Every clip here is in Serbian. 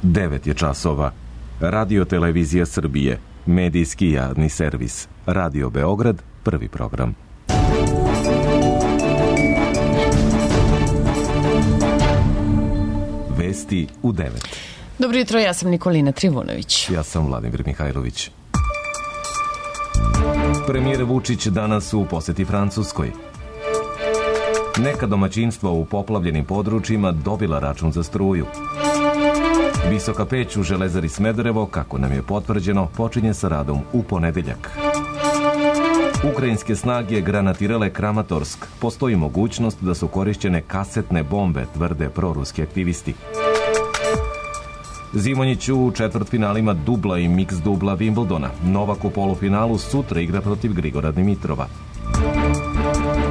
9 je časova. Radio Televizija Srbije, medijski javni servis. Radio Beograd, prvi program. Vesti u 9. Dobro jutro, ja sam Nikolina Trivunović. Ja sam Vladimir Mihajlović. Premijer Vučić danas u poseti Francuskoj. Neka domaćinstva u poplavljenim područjima dobila račun za struju. Visoka peć u Železari Smederevo, kako nam je potvrđeno, počinje sa radom u ponedeljak. Ukrajinske snage granatirale Kramatorsk. Postoji mogućnost da su korišćene kasetne bombe, tvrde proruski aktivisti. Zimonjić u četvrtfinalima dubla i miks dubla Wimbledona. Novak u polufinalu sutra igra protiv Grigora Dimitrova.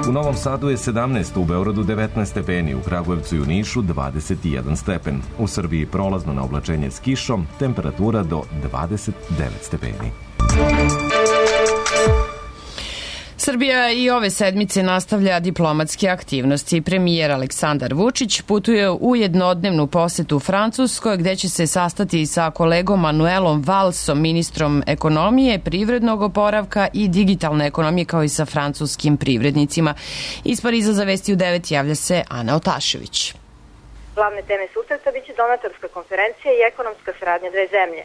U Novom Sadu je 17, u Beogradu 19 stepeni, u Kragujevcu i u Nišu 21 stepen. U Srbiji prolazno na oblačenje s kišom, temperatura do 29 stepeni. Srbija i ove sedmice nastavlja diplomatske aktivnosti. Premijer Aleksandar Vučić putuje u jednodnevnu posetu Francuskoj, gde će se sastati sa kolegom Manuelom Valsom, ministrom ekonomije, privrednog oporavka i digitalne ekonomije, kao i sa francuskim privrednicima. Iz Pariza za Vesti u 9 javlja se Ana Otašević. Glavne teme susreta biće donatorska konferencija i ekonomska saradnja dve zemlje.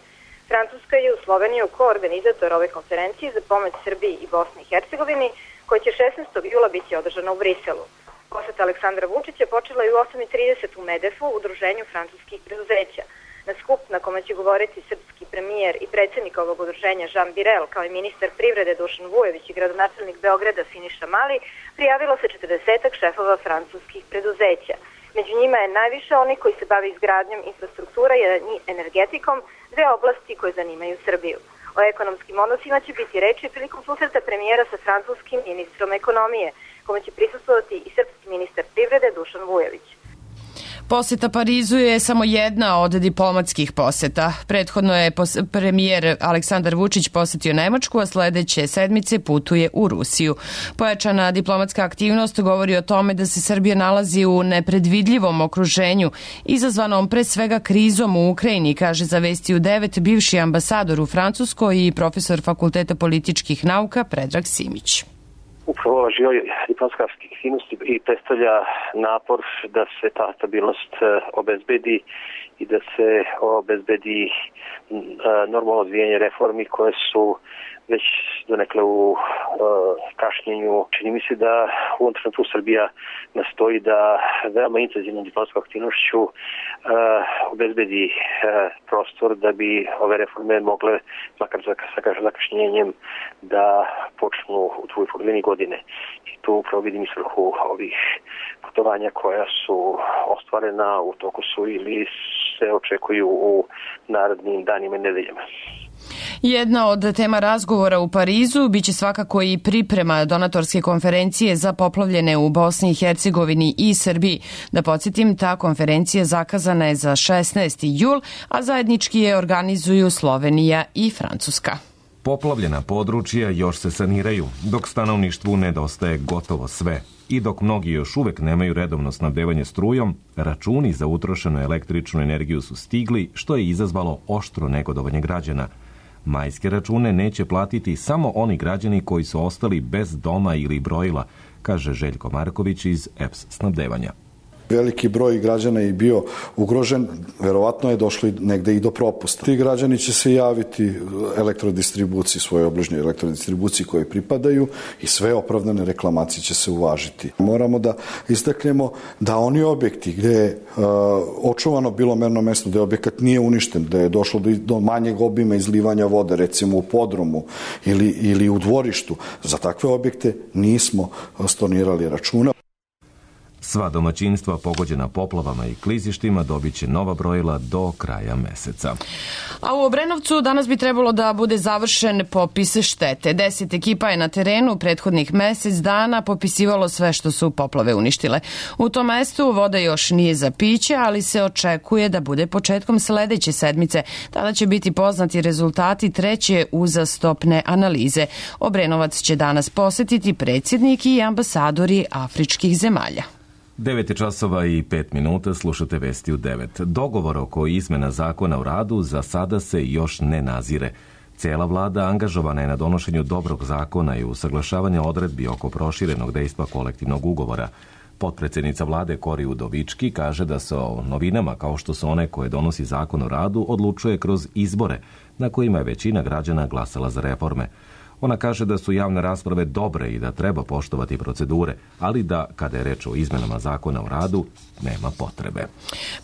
Francuska je u Sloveniju koorganizator ove konferencije za pomoć Srbiji i Bosni i Hercegovini, koja će 16. jula biti održana u Briselu. Poseta Aleksandra Vučića počela je u 8:30 u Medefu, udruženju francuskih preduzeća. Na skup na kome će govoriti srpski premijer i predsjednik ovog udruženja Jean Birel, kao i ministar privrede Dušan Vujović i gradonačelnik Beograda Siniša Mali, prijavilo se 40 šefova francuskih preduzeća. Među njima je najviše oni koji se bave izgradnjom infrastruktura i energetikom, dve oblasti koje zanimaju Srbiju. O ekonomskim odnosima će biti reči prilikom susreta premijera sa francuskim ministrom ekonomije, kome će prisustvovati i srpski ministar privrede Dušan Vujović. Poseta Parizu je samo jedna od diplomatskih poseta. Prethodno je premijer Aleksandar Vučić posetio Nemačku, a sledeće sedmice putuje u Rusiju. Pojačana diplomatska aktivnost govori o tome da se Srbija nalazi u nepredvidljivom okruženju, izazvanom pre svega krizom u Ukrajini, kaže za Vesti u 9 bivši ambasador u Francuskoj i profesor Fakulteta političkih nauka Predrag Simić. Upravo ova živa diplomatska aktivnost i predstavlja napor da se ta stabilnost obezbedi i da se obezbedi normalno odvijanje reformi koje su već donekle u kašnjenju. Čini mi se da u ovom trenutku Srbija nastoji da veoma intenzivnom diplomatskom aktivnošću obezbedi prostor da bi ove reforme mogle, makar sa zakašnjenjem, da počnu u drugoj polovini godine. I tu upravo vidim i svrhu ovih putovanja koja su ostvarena, u toku su ili se očekuju u narednim danima i nedeljama. Jedna od tema razgovora u Parizu biće svakako i priprema donatorske konferencije za poplavljene u Bosni i Hercegovini i Srbiji. Da podsjetim, ta konferencija zakazana je za 16. jul, a zajednički je organizuju Slovenija i Francuska. Poplavljena područja još se saniraju, dok stanovništvu nedostaje gotovo sve. I dok mnogi još uvek nemaju redovno snabdevanje strujom, računi za utrošenu električnu energiju su stigli, što je izazvalo oštro negodovanje građana. Majske račune neće platiti samo oni građani koji su ostali bez doma ili brojila, kaže Željko Marković iz EPS snabdevanja. Veliki broj građana je bio ugrožen, verovatno je došlo negde i do propusta. Ti građani će se javiti elektrodistribuciji, svoje obližnjoj elektrodistribuciji koje pripadaju i sve opravdane reklamacije će se uvažiti. Moramo da istaknemo da oni objekti gde je očuvano bilo merno mesto, da je objekat nije uništen, da je došlo do manjeg obima izlivanja vode, recimo u podrumu ili u dvorištu, za takve objekte nismo stornirali računa. Sva domaćinstva pogođena poplavama i klizištima dobit će nova brojila do kraja meseca. A u Obrenovcu danas bi trebalo da bude završen popis štete. 10 ekipa je na terenu prethodnih mesec dana popisivalo sve što su poplave uništile. U tom mestu voda još nije za piće, ali se očekuje da bude početkom sledeće sedmice. Tada će biti poznati rezultati treće uzastopne analize. Obrenovac će danas posetiti predsjednik i ambasadori afričkih zemalja. 9 časova i 5 minuta, slušate Vesti u 9. Dogovor oko izmena zakona o radu za sada se još ne nazire. Cijela vlada angažovana je na donošenju dobrog zakona i usaglašavanja odredbi oko proširenog dejstva kolektivnog ugovora. Potpredsjednica vlade Kori Udovički kaže da se o novinama, kao što su one koje donosi zakon o radu, odlučuje kroz izbore, na kojima je većina građana glasala za reforme. Ona kaže da su javne rasprave dobre i da treba poštovati procedure, ali da, kada je reč o izmenama zakona o radu, nema potrebe.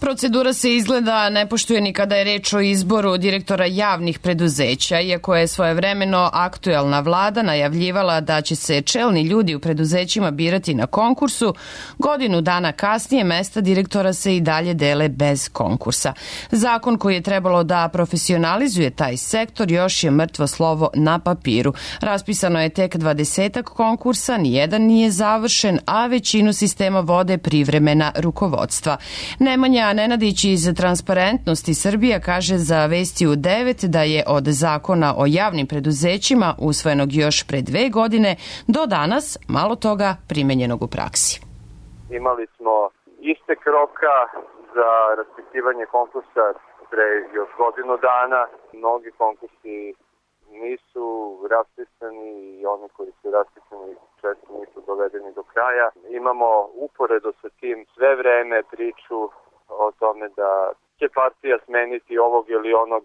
Procedura se izgleda ne poštuje ni kada je reč o izboru direktora javnih preduzeća, iako je svojevremeno aktuelna vlada najavljivala da će se čelni ljudi u preduzećima birati na konkursu. Godinu dana kasnije mesta direktora se i dalje dele bez konkursa. Zakon koji je trebalo da profesionalizuje taj sektor još je mrtvo slovo na papiru. Raspisano je tek 20 konkursa, nijedan nije završen, a većinu sistema vode privremena rukovodstva. Nemanja Nenadić iz Transparentnosti Srbija kaže za Vesti u 9 da je od zakona o javnim preduzećima usvojenog još pre 2 godine do danas malo toga primenjenog u praksi. Imali smo istek roka za raspisivanje konkursa pre još godinu dana. Mnogi konkursi nisu raspisani i oni koji su raspisani često nisu dovedeni do kraja. Imamo uporedo sa tim sve vreme priču o tome da će partija smeniti ovog ili onog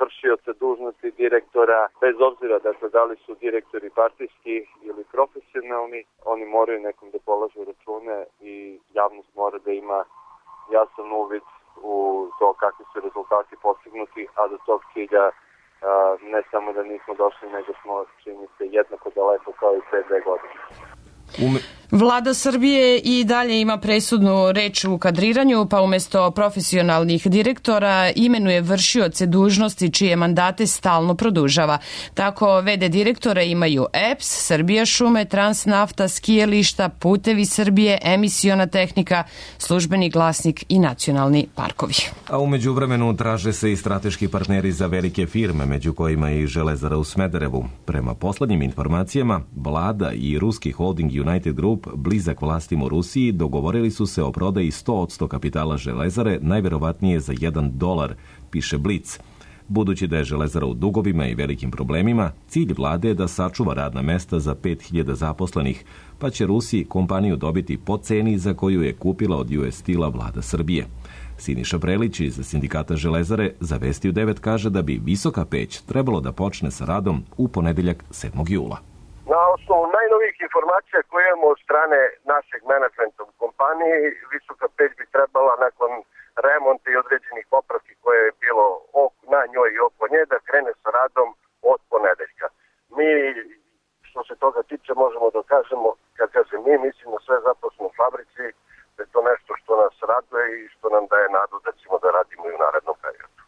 vršioca dužnosti direktora, bez obzira da li su direktori partijski ili profesionalni, oni moraju nekom da polažu račune i javnost mora da ima jasan uvid u to kakvi su rezultati postignuti, a do tog cilja ne samo da nismo došli, nego smo, čini se, jednako daleko kao i pre 2 godine. Vlada Srbije i dalje ima presudnu reč u kadriranju, pa umjesto profesionalnih direktora imenuje vršioce dužnosti čije mandate stalno produžava. Tako v.d. direktore imaju EPS, Srbija šume, Transnafta, skijališta, Putevi Srbije, Emisiona tehnika, Službeni glasnik i nacionalni parkovi. A u međuvremenu traže se i strateški partneri za velike firme, među kojima i Železara u Smederevu. Prema poslednjim informacijama, vlada i ruski holding United Group, blizak vlastima u Rusiji, dogovorili su se o prodaji 100% kapitala Železare, najverovatnije za $1, piše Blic. Budući da je Železara u dugovima i velikim problemima, cilj vlade je da sačuva radna mesta za 5000 zaposlenih, pa će Rusiji kompaniju dobiti po ceni za koju je kupila od US Steel-a vlada Srbije. Siniša Prelić iz sindikata Železare za Vesti u 9 kaže da bi Visoka peć trebalo da počne sa radom u ponedeljak 7. jula. Na osnovu najnovijih informacija koje imamo od strane našeg menadžmenta u kompaniji, Visoka peć bi trebala nakon remonta i određenih popravki koje je bilo na njoj i oko nje da krene sa radom od ponedeljka. Mi, što se toga tiče, možemo da kažemo, kad kažem mi, mislim na sve zaposlene u fabrici, da je to nešto što nas raduje i što nam daje nadu da ćemo da radimo i u narednom periodu.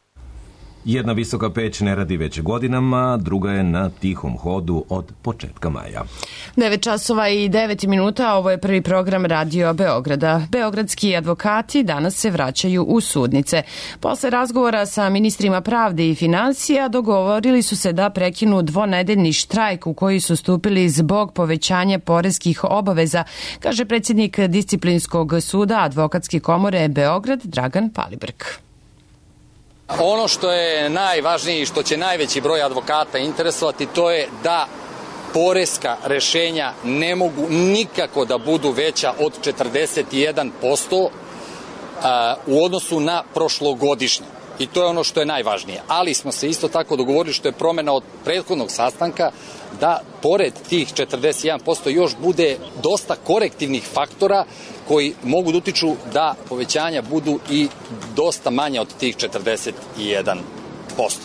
Jedna Visoka peć ne radi već godinama, druga je na tihom hodu od početka maja. 9 časova i 9 minuta, ovo je prvi program Radio Beograda. Beogradski advokati danas se vraćaju u sudnice. Posle razgovora sa ministrima pravde i finansija dogovorili su se da prekinu dvonedeljni štrajk u koji su stupili zbog povećanja poreskih obaveza, kaže predsjednik Disciplinskog suda Advokatske komore Beograd Dragan Palibrk. Ono što je najvažnije i što će najveći broj advokata interesovati, to je da poreska rešenja ne mogu nikako da budu veća od 41% u odnosu na prošlogodišnje. I to je ono što je najvažnije. Ali smo se isto tako dogovorili, što je promena od prethodnog sastanka, da pored tih 41% još bude dosta korektivnih faktora koji mogu da utiču da povećanja budu i dosta manja od tih 41%.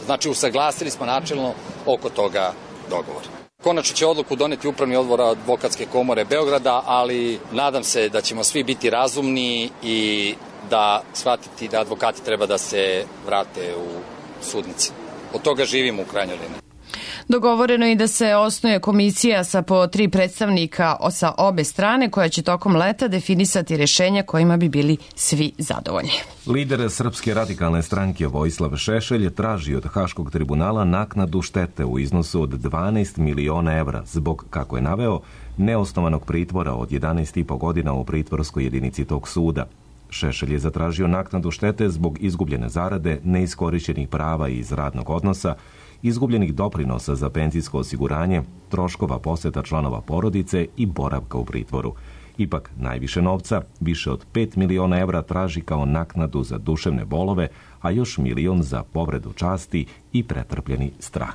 Znači, usaglasili smo načelno oko toga dogovora. Konačno će odluku doneti Upravni odbor Advokatske komore Beograda, ali nadam se da ćemo svi biti razumni i da shvatiti da advokati treba da se vrate u sudnici. Od toga živimo u krajnjoj liniji. Dogovoreno je da se osnuje komisija sa po 3 predstavnika sa obe strane koja će tokom leta definisati rešenja kojima bi bili svi zadovoljni. Lider Srpske radikalne stranke Vojislav Šešelj traži od Haškog tribunala naknadu štete u iznosu od 12 miliona evra zbog, kako je naveo, neosnovanog pritvora od 11,5 godina u pritvorskoj jedinici tog suda. Šešelj je zatražio naknadu štete zbog izgubljene zarade, neiskorišćenih prava iz radnog odnosa, izgubljenih doprinosa za penzijsko osiguranje, troškova poseta članova porodice i boravka u pritvoru. Ipak, najviše novca, više od 5 miliona evra, traži kao naknadu za duševne bolove, a još 1 milion za povredu časti i pretrpljeni strah.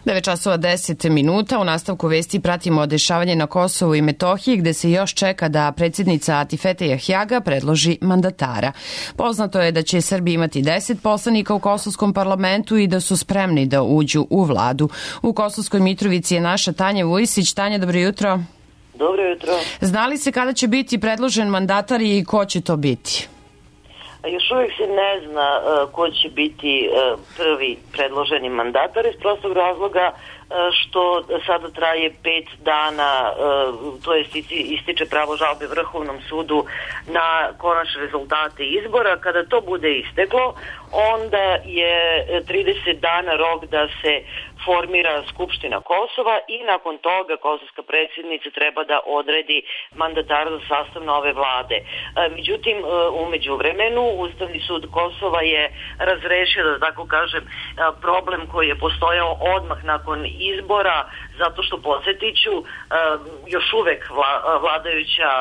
9:10. U nastavku vesti pratimo dešavanje na Kosovu i Metohiji, gde se još čeka da predsjednica Atifete Jahjaga predloži mandatara. Poznato je da će Srbija imati 10 poslanika u Kosovskom parlamentu i da su spremni da uđu u vladu. U Kosovskoj Mitrovici je naša Tanja Vujsić. Tanja, dobro jutro. Dobro jutro. Zna li se kada će biti predložen mandatar i ko će to biti? Još uvijek se ne zna ko će biti prvi predloženi mandatar iz prostog razloga što sada traje 5 dana, to jest ističe pravo žalbe Vrhovnom sudu na konačne rezultate izbora. Kada to bude isteklo, onda je 30 dana rok da se formira Skupština Kosova i nakon toga kosovska predsjednica treba da odredi mandatara za sastav nove vlade. Međutim, u međuvremenu Ustavni sud Kosova je razrešio, da tako kažem, problem koji je postojao odmah nakon izbora, zato što, podsjetiću, još uvek vladajuća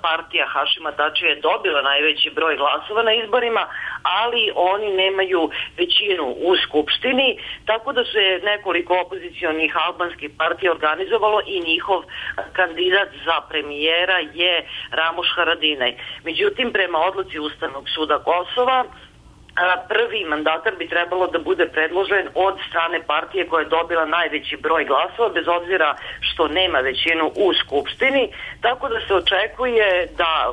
partija Hašima Tačija je dobila najveći broj glasova na izborima, ali oni nemaju većinu u Skupštini, tako da se nekoliko opozicionih albanskih partija organizovalo i njihov kandidat za premijera je Ramuš Haradinaj. Međutim, prema odluci Ustavnog suda Kosova, prvi mandatar bi trebalo da bude predložen od strane partije koja je dobila najveći broj glasova, bez obzira što nema većinu u Skupštini, tako da se očekuje da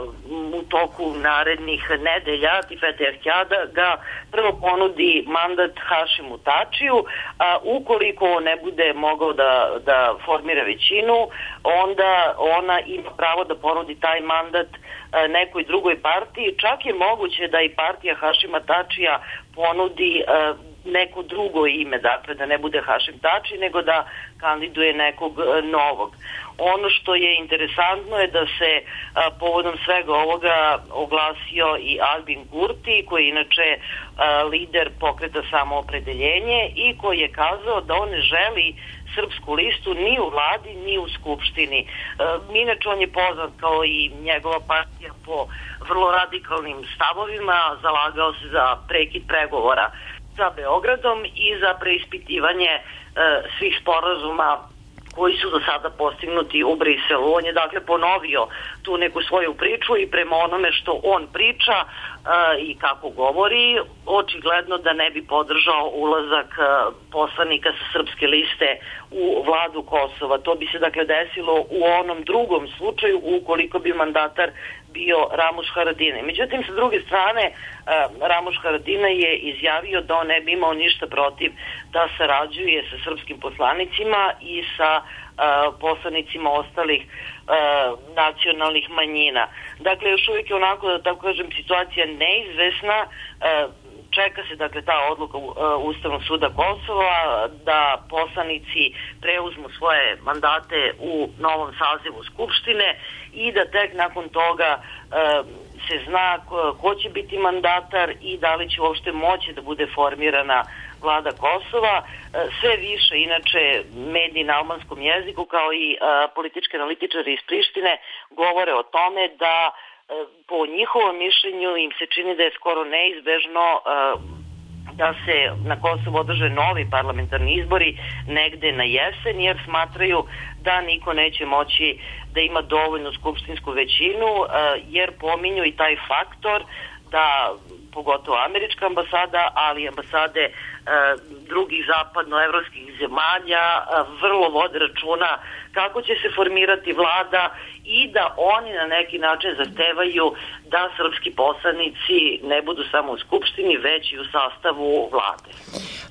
u toku narednih nedelja Atifete Jahjaga ga prvo ponudi mandat Hašimu Tačiju, a ukoliko ne bude mogao da formira većinu, onda ona ima pravo da ponudi taj mandat nekoj drugoj partiji. Čak je moguće da i partija Hašima Tačija ponudi neko drugo ime, dakle da ne bude Hašim Tači, nego da kandiduje nekog novog. Ono što je interesantno je da se povodom svega ovoga oglasio i Albin Kurti, koji je inače lider pokreta Samoopredeljenje i koji je kazao da on ne želi srpsku listu ni u vladi ni u skupštini. Inače on je poznat kao i njegova partija po vrlo radikalnim stavovima, zalagao se za prekid pregovora sa Beogradom i za preispitivanje svih sporazuma koji su do sada postignuti u Briselu. On je dakle ponovio tu neku svoju priču i prema onome što on priča i kako govori, očigledno da ne bi podržao ulazak poslanika sa srpske liste u vladu Kosova. To bi se dakle desilo u onom drugom slučaju ukoliko bi mandatar bio Ramuš Haradinaj. Međutim, sa druge strane, Ramuš Haradinaj je izjavio da on ne bi imao ništa protiv da sarađuje sa srpskim poslanicima i sa poslanicima ostalih nacionalnih manjina. Dakle, još uvijek je onako, da tako kažem, situacija neizvesna. Čeka se dakle ta odluka Ustavnog suda Kosova da poslanici preuzmu svoje mandate u novom sazivu Skupštine i da tek nakon toga se zna ko će biti mandatar i da li će uopšte moći da bude formirana vlada Kosova. Sve više, inače, mediji na albanskom jeziku kao i politički analitičari iz Prištine govore o tome da po njihovom mišljenju im se čini da je skoro neizbežno da se na Kosovu održe novi parlamentarni izbori negde na jesen, jer smatraju da niko neće moći da ima dovoljnu skupštinsku većinu, jer pominju i taj faktor da pogotovo američka ambasada, ali i ambasade drugih zapadnoevropskih zemalja vrlo vode računa kako će se formirati vlada i da oni na neki način zahtevaju da srpski poslanici ne budu samo u Skupštini, već i u sastavu vlade.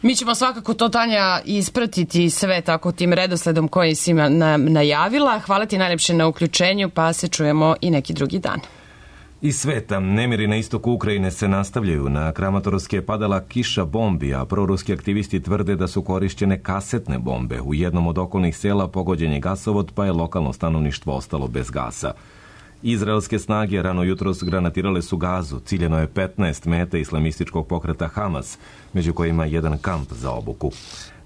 Mi ćemo svakako to, Tanja, ispratiti sve tako tim redosledom koji si najavila. Hvala ti najlepše na uključenju, pa se čujemo i neki drugi dan. Iz sveta, nemiri na istoku Ukrajine se nastavljaju. Na Kramatorsk je padala kiša bombi, a proruski aktivisti tvrde da su korišćene kasetne bombe. U jednom od okolnih sela pogođen je gasovod, pa je lokalno stanovništvo ostalo bez gasa. Izraelske snage rano jutros granatirale su Gazu. Ciljeno je 15 meta islamističkog pokreta Hamas, među kojima jedan kamp za obuku.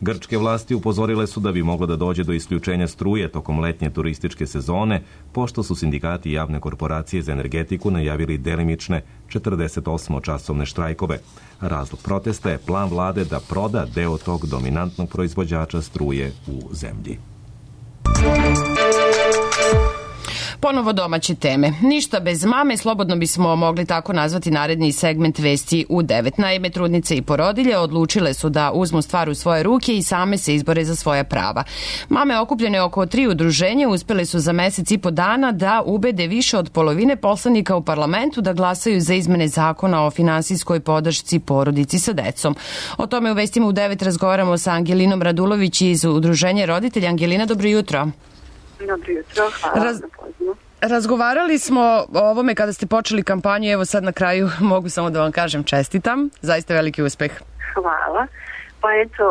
Grčke vlasti upozorile su da bi moglo da dođe do isključenja struje tokom letnje turističke sezone, pošto su sindikati javne korporacije za energetiku najavili delimične 48-časovne štrajkove. Razlog protesta je plan vlade da proda deo tog dominantnog proizvođača struje u zemlji. Ponovo domaće teme. Ništa bez mame, slobodno bismo mogli tako nazvati naredni segment vesti u 9. Naime, trudnice i porodilje odlučile su da uzmu stvar u svoje ruke i same se izbore za svoja prava. Mame okupljene oko 3 udruženja uspele su za mesec i po dana da ubede više od polovine poslanika u parlamentu da glasaju za izmene zakona o finansijskoj podršci porodici sa decom. O tome u vestima u 9 razgovaramo sa Angelinom Radulović iz udruženja roditelja. Angelina, dobro jutro. Dobro jutro, hvala na pozivu. Razgovarali smo o ovome kada ste počeli kampanju, evo sad na kraju mogu samo da vam kažem čestitam, zaista veliki uspeh. Hvala. Pa eto,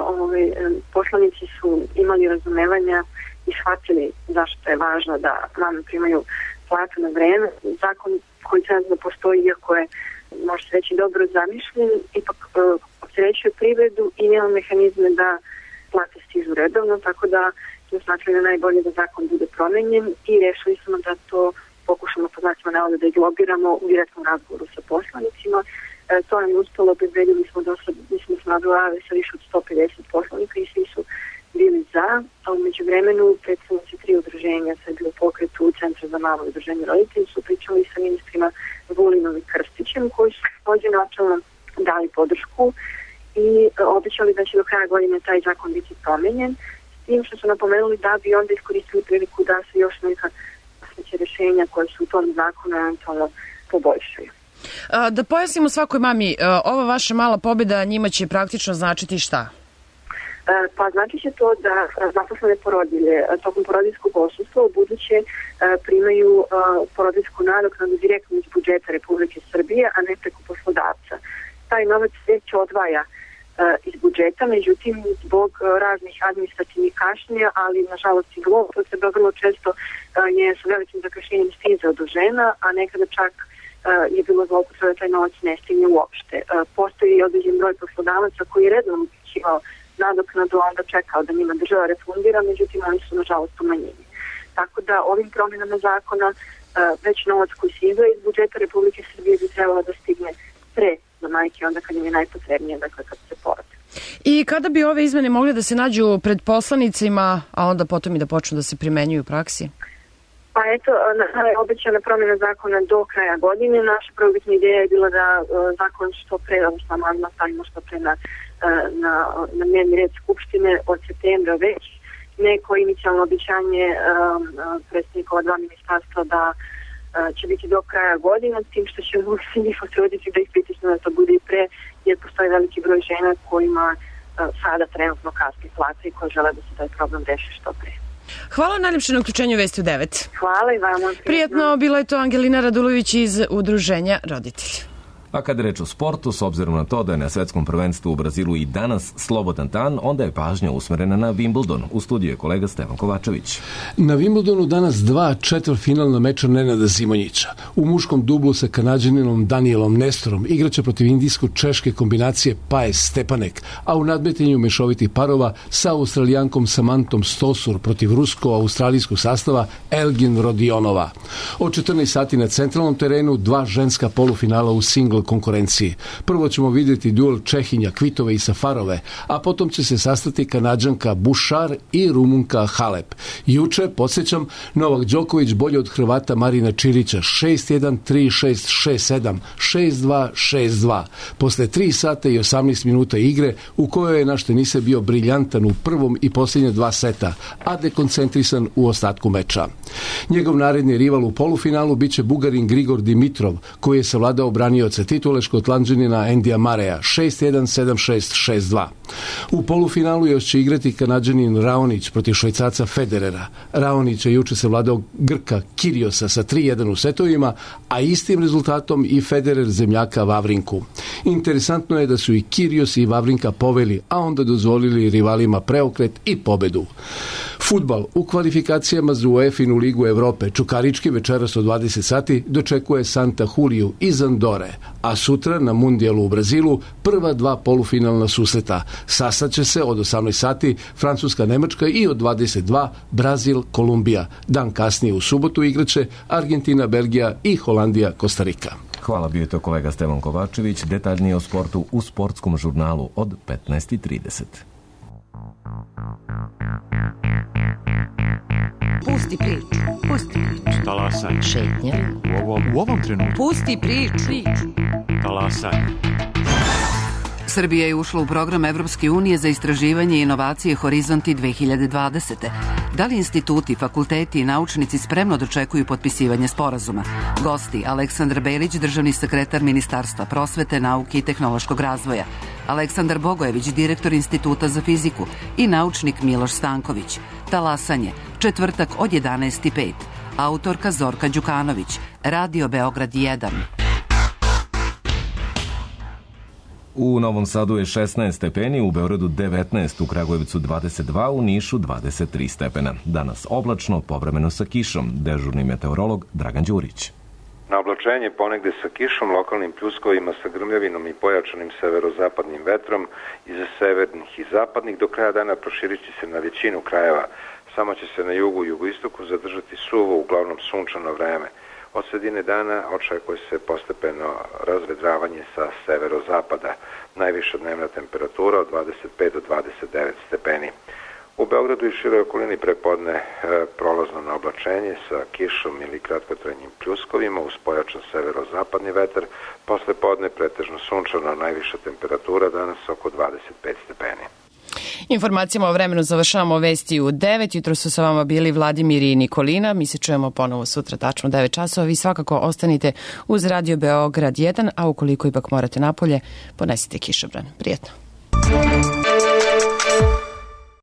poslanici su imali razumevanja i shvatili zašto je važno da mame primaju platu na vreme. Zakon koji trenutno postoji, iako je, može se reći, dobro zamišljen, ipak opterećuje privredu i nema mehanizme da plate stižu redovno, tako da smo smatrali da najbolje da zakon bude promenjen i rešili smo da to pokušamo po znacima navoda da lobiramo u direktnom razgovoru sa poslanicima. To nam je uspelo, obezbedili smo mislim da smo razgovarali sa više od 150 poslanika i svi su bili za, a umeđu vremenu predstavnici 3 udruženja, sad je bilo pokretu u Centru za malo udruženje roditelji, su pričali sa ministrima Vulinom i Krstićem, koji su takođe načelno dali podršku i obećali da će do kraja godine taj zakon biti promenjen, tim što su napomenuli da bi onda iskoristili priliku da se još neka sledeće rešenja koje su u tom zakonu eventualno poboljšaju. Da pojasnimo svakoj mami, ova vaša mala pobjeda njima će praktično značiti šta? Pa znači će to da zaposlene porodilje tokom porodiljskog odsustva u buduće primaju porodiljsku nadoknadu direktno iz budžeta Republike Srbije, a ne preko poslodavca. Taj novac već odvaja iz budžeta, međutim zbog raznih administrativnih kašnjenja, ali nažalost i zloupotreba vrlo često je sa velikim zakašnjenjem stizao do žena, a nekada čak je bilo zloupotreba da taj novac ne stigne uopšte. Postoji i određen broj poslodavaca koji je redno uplaćivao nadoknadu, a onda čekao da njima država refundira, međutim oni su nažalost umanjeni. Tako da ovim promjenama zakona već novac koji se izdvaja iz budžeta Republike Srbije bi trebalo da stigne pre za majke onda kad im je najpotrebnije, dakle kad se porode. I kada bi ove izmene mogle da se nađu pred poslanicima, a onda potom i da počnu da se primenjuju u praksi? Pa eto, je obećana promjena zakona do kraja godine. Naša prvobitna ideja je bila da zakon što pre, odnosno amandman stavimo što pre na dnevni red Skupštine od septembra već. Neko inicijalno obećanje predstavnikova 2 ministarstva da će biti do kraja godina, s tim što ćemo se njih potruditi da ih pritisnu da to bude i pre, jer postoji veliki broj žena kojima sada trenutno kasni plata i koji žele da se taj problem reši što pre. Hvala najljepše na uključenju Vesti u 9. Hvala i vama. Prijetno, bila je to Angelina Radulović iz udruženja roditelja. A kad je reč o sportu, s obzirom na to da je na svetskom prvenstvu u Brazilu i danas slobodan dan, onda je pažnja usmerena na Wimbledon. U studiju je kolega Stefan Kovačević. Na Wimbledonu danas 2 četvrtfinalna meča Nenada Zimonjića. U muškom dublu sa Kanađaninom Danielom Nestorom igraće protiv indijsko-češke kombinacije Paes Stepanek, a u nadmetanju mešovitih parova sa Australijankom Samantom Stosur protiv rusko-australijskog sastava Elgin Rodionova. Od 14 sati na centralnom terenu 2 ženska polufinala u single konkurenciji. Prvo ćemo vidjeti duel Čehinja Kvitove i Safarove, a potom će se sastati Kanađanka Bušar i Rumunka Halep. Juče, podsjećam, Novak Đoković bolje od Hrvata Marina Čilića 6-1, 3-6, 6-7, 6-2, 6-2. Posle 3 sata i 18 minuta igre u kojoj je naš teniser bio briljantan u prvom i posljednje 2 seta, a dekoncentrisan u ostatku meča. Njegov naredni rival u polufinalu biće Bugarin Grigor Dimitrov, koji je savladao branioca titule Škotlanđanina Endija Mareja 6-1, 7-6, 6-2. U polufinalu još će igrati Kanađanin Raonić protiv Švajcarca Federera. Raonić je juče savladao Grka Kiriosa sa 3-1 u setovima, a istim rezultatom i Federer zemljaka Vavrinku. Interesantno je da su i Kirios i Vavrinka poveli, a onda dozvolili rivalima preokret i pobedu. Fudbal u kvalifikacijama za UEFA-inu Ligu Evrope Čukarički večeras od 20 sati dočekuje Santa Juliju iz Andore, a sutra na Mundijalu u Brazilu prva 2 polufinalna susreta. Sastaće se od 18 sati Francuska-Nemačka i od 22 Brazil-Kolumbija. Dan kasnije u subotu igraće Argentina-Belgija i Holandija-Kostarika. Hvala, bio je to kolega Stevan Kovačević. Detaljnije o sportu u sportskom žurnalu od 15:30. Pusti priču. Pusti priču. Talasaj. Šetnja. U ovom trenutku. Pusti priču. Talasaj. Srbija je ušla u program Evropske unije za istraživanje i inovacije Horizonti 2020. Da li instituti, fakulteti i naučnici spremno dočekuju potpisivanje sporazuma? Gosti Aleksandar Belić, državni sekretar Ministarstva prosvete, nauke i tehnološkog razvoja, Aleksandar Bogojević, direktor Instituta za fiziku i naučnik Miloš Stanković. Talasanje, četvrtak od 11:05. Autorka Zorka Đukanović, Radio Beograd 1. U Novom Sadu je 16 stepeni, u Beogradu 19, u Kragujevcu 22, u Nišu 23 stepena. Danas oblačno, povremeno sa kišom. Dežurni meteorolog Dragan Đurić. Na oblačenje ponegde sa kišom, lokalnim pljuskovima sa grmljavinom i pojačanim severozapadnim vetrom iz severnih i zapadnih. Do kraja dana proširit će se na većinu krajeva. Samo će se na jugu i jugoistoku zadržati suvo, uglavnom sunčano vreme. Od sredine dana očekuje se postepeno razvedravanje sa severozapada. Najviša dnevna temperatura od 25 do 29 stepeni. U Beogradu i široj okolini prepodne prolazno na oblačenje sa kišom ili kratkotrajnim pljuskovima uz pojačan severozapadni vetar. Posle podne pretežno sunčano, najviša temperatura danas oko 25 stepeni. Informacijama o vremenu završavamo vesti u 9. Jutro su sa vama bili Vladimir i Nikolina. Mi se čujemo ponovo sutra tačno 9 časova. Vi svakako ostanite uz Radio Beograd 1, a ukoliko ipak morate napolje, ponesite kišobran. Prijetno.